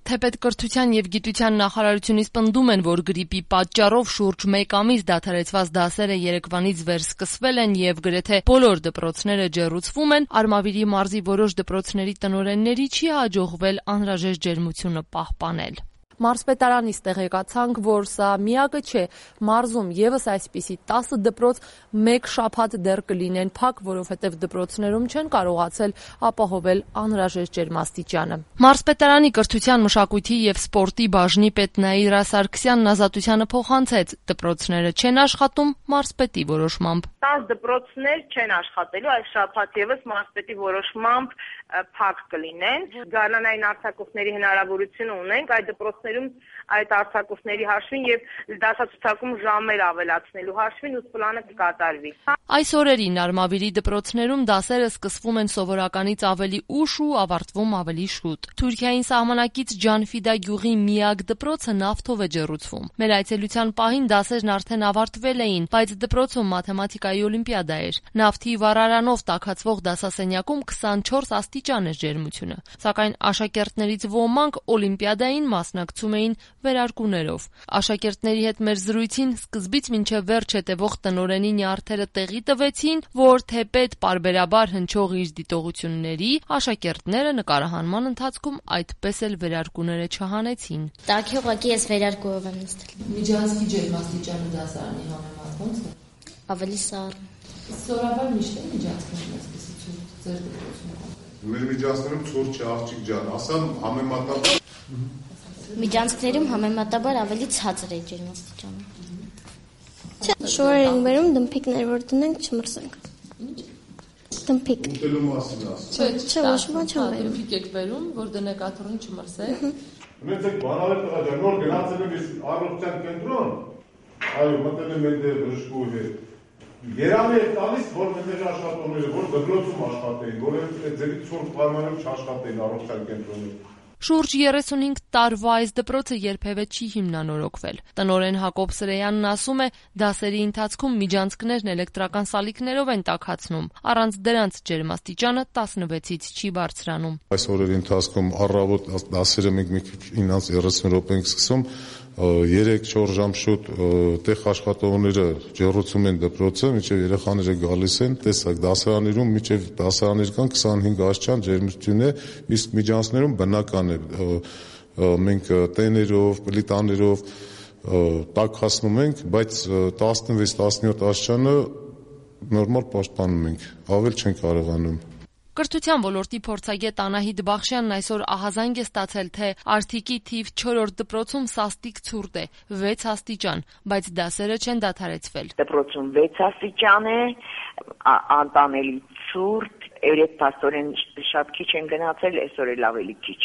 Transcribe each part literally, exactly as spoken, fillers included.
Թեպետ կրթության եւ գիտության նախարարությունից պնդում են, որ գրիպի պատճառով շուրջ մեկ ամիս դադարեցված դասերը երեկվանից վեր սկսվել են եւ գրեթե բոլոր դպրոցները ջեռուցվում են, Արմավիրի մարզի որոշ դպրոցների տնօրենների չի հաջողվել անհրաժեշտ ջերմությունը պահպանել։ Մարզպետարանից տեղեկացանք, որ սա միակը չէ, մարզում եւս այսպիսի տասը դպրոց մեկ շաբաթ դեռ կլինեն փակ, որովհետեւ դպրոցներում չեն կարողացել ապահովել անհրաժեշտ ջերմաստիճանը։ Մարզպետարանի կրթության, մշակույթի եւ սպորտի բաժնի պետ Նաիրա Սարգսյանն ազատությանը փոխանցեց, դպրոցները չեն աշխատում մարզպետի որոշմամբ։ տասը դպրոցներ չեն աշխատելու, այս շաբաթ եւս մարզպետի որոշմամբ փակ կլինեն։ Գարնանային արձակուրդների հնարավորություն ունենք այդ դպրոցներում այդ արձակուրդների հաշվին եւ դասացուցակում ժամեր ավելացնելու հաշվին ու պլանը կկատարվի։ Այս օրերին Արմավիրի դպրոցներում դասերը սկսվում են սովորականից ավելի ուշ ու ավարտվում ավելի շուտ։ Թուրքիային սահմանակից Ջանֆիդա գյուղի միակ դպրոցը նավթով է ջեռուցվում։ Մեր այցելության պահին դասերն արդեն ավարտվել էին, բայց դպրոցում մաթեմատիկայի օլիմպիադա էր։ Նավթի վառարանով տաքացվող դասասենյակում քսանչորս աստիճան էր ջերմությունը։ Սակայն աշակերտներից ոմանք օլիմպիադային մասնակցում էին վերարկուներով։ Աշակերտների հետ մեր զրույցին սկզբից մինչև վերջ հետևող տնօրենի նյարդերը տեղի տվեցին, որ թեպետ պարբերաբար հնչող իր դիտողությունների, աշակերտները նկարահանման ընթացքում այդպես էլ վերարկուները չհանեցին։ Տաքի ուղղակի ես վերարկուով եմ նստել։ Միջանցքի ջերմաստիճանը դասարանի համեմատ ո՞նց է։ Ավելի սառն։ Սովորաբար միշտ է միջանցքներն այսպեսի ցուրտ ձեր դպրոցում։ Մեր միջանցքներում ցուրտ չէ, աղջիկ ջան, ասամ համեմատաբար Միջանցքներում համեմատաբար ավելի ցածր է ջերմաստիճանը։ Շորեր ենք բերում դմփիկներ, որ դնենք չմրսենք։ Դմփիկ։ Ուտելու մասին ասում։ Չէ, Չէ, ոչ ոք չեմ բերում։ Դմփիկ եք բերում, որ դնեք աթոռին չմրսեք։ Ունեցեք բանալի տղա ջան, նոր գնացել եմ ես առողջության կենտրոն։ Այո, մտել եմ այնտեղ բժշկու հետ։ Երանի է տալիս, որ մեր աշխատողները, որ դպրոցում աշխատեին, որովհետեւ ձերի ցուրտ պայմաններում չաշխատեին առողջության կենտրոնում։ Շուրջ երեսունհինգ տարվա այս դպրոցը երբևէ չի հիմնանորոգվել։ Տնօրեն Հակոբ Սրեյանն ասում է, դասերի ընթացքում միջանցքներն էլեկտրական սալիկներով են տաքացնում, առանց դրանց ջերմաստիճանը տասնվեցից չի բարձրանում։ Այս օրերի ընթացքում առավոտ դասերը մենք մի քիչ իննանց երեսուն րոպե ենք սկսում, երեք-չորս ժամ շուտ տեղ աշխատողները ջեռուցում են դպրոցը, մինչև երեխաները գալիս են, տեսակ դասարաններում մինչև դասարաններ կան քսանհինգ աստիճան ջերմություն է, իսկ միջանցքներում բնական է, մենք տեներով, պլիտաներով տաքացնում ենք, բայց տասնվեց տասնյոթ աստիճանը նորմալ պաշտպանում ենք, ավել չենք կարողանում։ Կրթության ոլորտի փորձագետ Անահիտ Բախշյանն այսօր ահազանգ է ստացել, թե Արթիկի թիվ չորրորդ դպրոցում սաստիկ ցուրտ է, վեց աստիճան, բայց դասերը չեն դադարեցվել։ Դպրոցում վեց աստիճան է, անտանելի ցուրտ, երեք փաստորեն շատ քիչ են գնացել, այսօր էլ ավելի քիչ։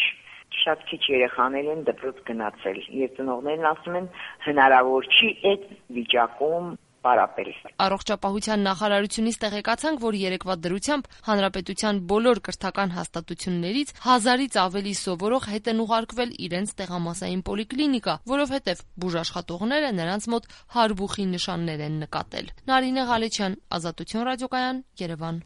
Շատ քիչ երեխաներ են դպրոց գնացել, եւ ծնողներն ասում են հնարավոր չի այդ վիճակում պարապել։ Առողջապահության նախարարությունից տեղեկացանք, որ երեկվա դրությամբ հանրապետության բոլոր կրթական հաստատություններից հազարից ավելի սովորող հետ են ուղարկվել իրենց տեղամասային պոլիկլինիկա, որովհետև բուժաշխատողները նրանց մոտ հարբուխի նշաններ են նկատել։ Նարինե Ղալեչյան, Ազատություն ռադիոկայան, Երևան։